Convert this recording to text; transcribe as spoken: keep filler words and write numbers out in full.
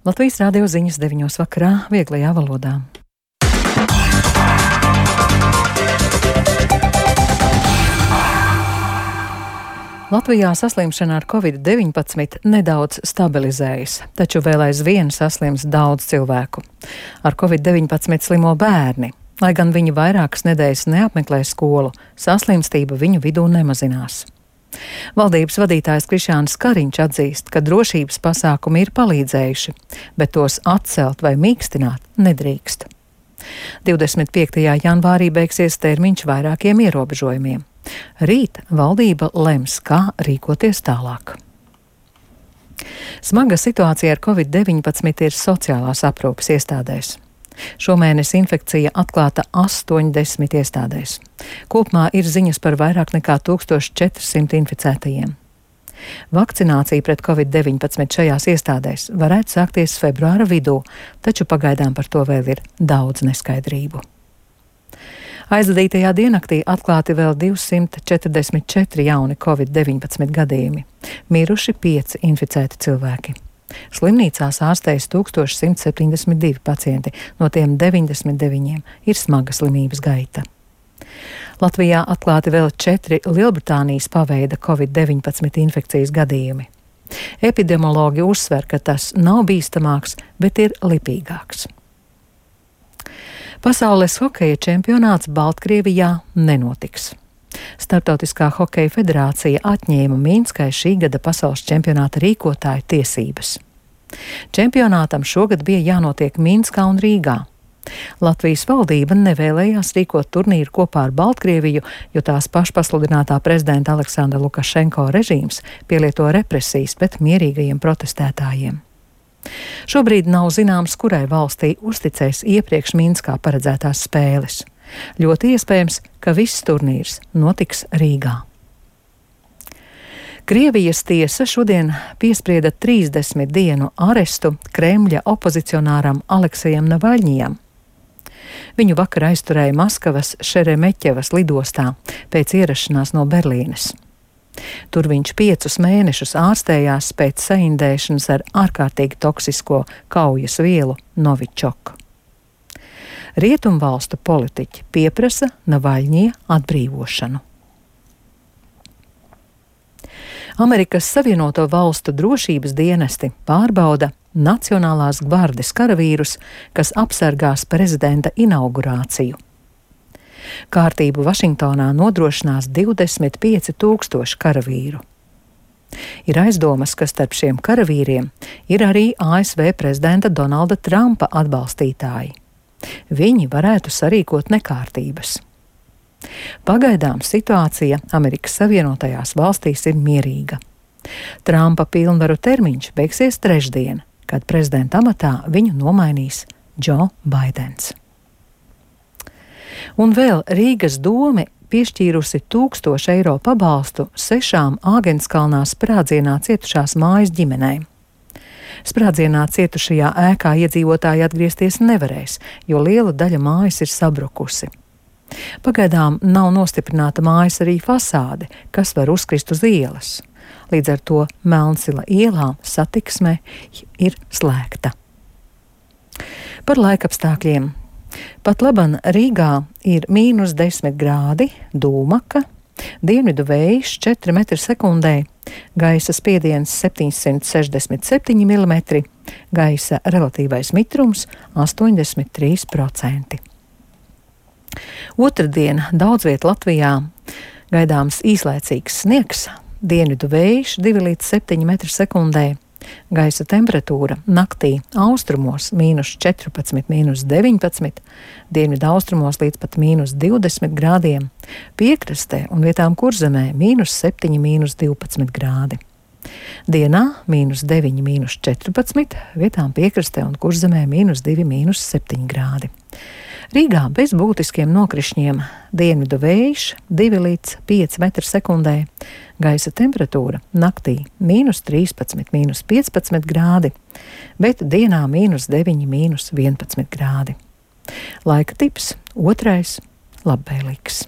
Latvijas radio ziņas deviņos vakarā vieglajā valodā. Latvijā saslimšana ar covid deviņpadsmit nedaudz stabilizējas, taču vēl aizvien saslims daudz cilvēku. Ar covid deviņpadsmit slimo bērni. Lai gan viņi vairākas nedēļas neapmeklē skolu, saslimstība viņu vidū nemazinās. Valdības vadītājs Krišjānis Kariņš atzīst, ka drošības pasākumi ir palīdzējuši, bet tos atcelt vai mīkstināt nedrīkst. divdesmit piektajā janvārī beigsies termiņš vairākiem ierobežojumiem. Rīt valdība lems, kā rīkoties tālāk. Smaga situācija ar covid deviņpadsmit ir sociālās aprūpes iestādēs. Šomēnes infekcija atklāta astoņdesmit iestādēs. Kopumā ir ziņas par vairāk nekā tūkstoš četrsimt inficētajiem. Vakcinācija pret covid deviņpadsmit šajās iestādēs varētu sākties februāra vidū, taču pagaidām par to vēl ir daudz neskaidrību. Aizvadītajā diennaktī atklāti vēl divsimt četrdesmit četri jauni covid deviņpadsmit gadījumi. Miruši pieci inficēti cilvēki. Slimnīcās ārstējas tūkstoš simt septiņdesmit divi pacienti, no tiem deviņdesmit deviņiem ir smaga slimības gaita. Latvijā atklāti vēl četri Lielbritānijas paveida covid deviņpadsmit infekcijas gadījumi. Epidemiologi uzsver, ka tas nav bīstamāks, bet ir lipīgāks. Pasaules hokeja čempionāts Baltkrievijā nenotiks. Startautiskā hokeja federācija atņēma Minskai šī gada pasaules čempionāta rīkotāju tiesības. Čempionātam šogad bija jānotiek Minskā un Rīgā. Latvijas valdība nevēlējās rīkot turnīru kopā ar Baltkrieviju, jo tās pašpasludinātā prezidenta Aleksandra Lukašenko režīms pielieto represijas pret mierīgajiem protestētājiem. Šobrīd nav zināms, kurai valstī uzticēs iepriekš Minskā paredzētās spēles. Ļoti iespējams, ka viss turnīrs notiks Rīgā. Krievijas tiesa šodien piesprieda trīsdesmit dienu arestu Kremļa opozicionāram Aleksejam Navaļņijam. Viņu vakar aizturēja Maskavas Šeremeķevas lidostā pēc ierašanās no Berlīnes. Tur viņš piecus mēnešus ārstējās pēc saindēšanas ar ārkārtīgi toksisko kaujas vielu Novičoku. Rietumvalstu politiķi pieprasa Navaļņija atbrīvošanu. Amerikas Savienoto Valstu drošības dienesti pārbauda Nacionālās gvardes karavīrus, kas apsargās prezidenta inaugurāciju. Kārtību Vašingtonā nodrošinās divdesmit pieci tūkstoši karavīru. Ir aizdomas, ka starp šiem karavīriem ir arī A S V prezidenta Donalda Trumpa atbalstītāji. Viņi varētu sarīkot nekārtības. Pagaidām situācija Amerikas Savienotajās valstīs ir mierīga. Trumpa pilnvaru termiņš beigsies trešdien, kad prezidenta amatā viņu nomainīs Džo Baidens. Un vēl Rīgas dome piešķīrusi tūkstošu eiro pabalstu sešām Āgenskalnā sprādzienā cietušās mājas ģimenēm. Sprādzienā cietušajā ēkā iedzīvotāji atgriezties nevarēs, jo liela daļa mājas ir sabrukusi. Pagaidām nav nostiprināta mājas arī fasāde, kas var uzkrist uz ielas. Līdz ar to Melnsila ielā satiksme ir slēgta. Par laikapstākļiem. Pat laban Rīgā ir mīnus desmit grādi, dūmaka, dienvidu vējš četri metri sekundē, gaisa spiediens septiņsimt sešdesmit septiņi milimetri, gaisa relatīvais mitrums astoņdesmit trīs procenti. Otradien daudz viet Latvijā gaidāms īslaicīgs sniegs, dienvidu vējš divi līdz septiņi metri sekundē, gaisa temperatūra naktī austrumos mīnus četrpadsmit, mīnus deviņpadsmit, dienvidu austrumos līdz pat mīnus divdesmit grādiem, piekrastē un vietām Kurzemē mīnus septiņi, mīnus divpadsmit grādi. Dienā mīnus deviņi, mīnus četrpadsmit, vietām piekrastē un Kurzemē mīnus divi, mīnus septiņi grādi. Rīgā bez būtiskiem nokrišņiem, dienvidu vējš divi līdz pieci metri sekundē, gaisa temperatūra naktī mīnus trīspadsmit, mīnus piecpadsmit grādi, bet dienā mīnus deviņi, mīnus vienpadsmit grādi. Laika tips otrais labvēlīgs.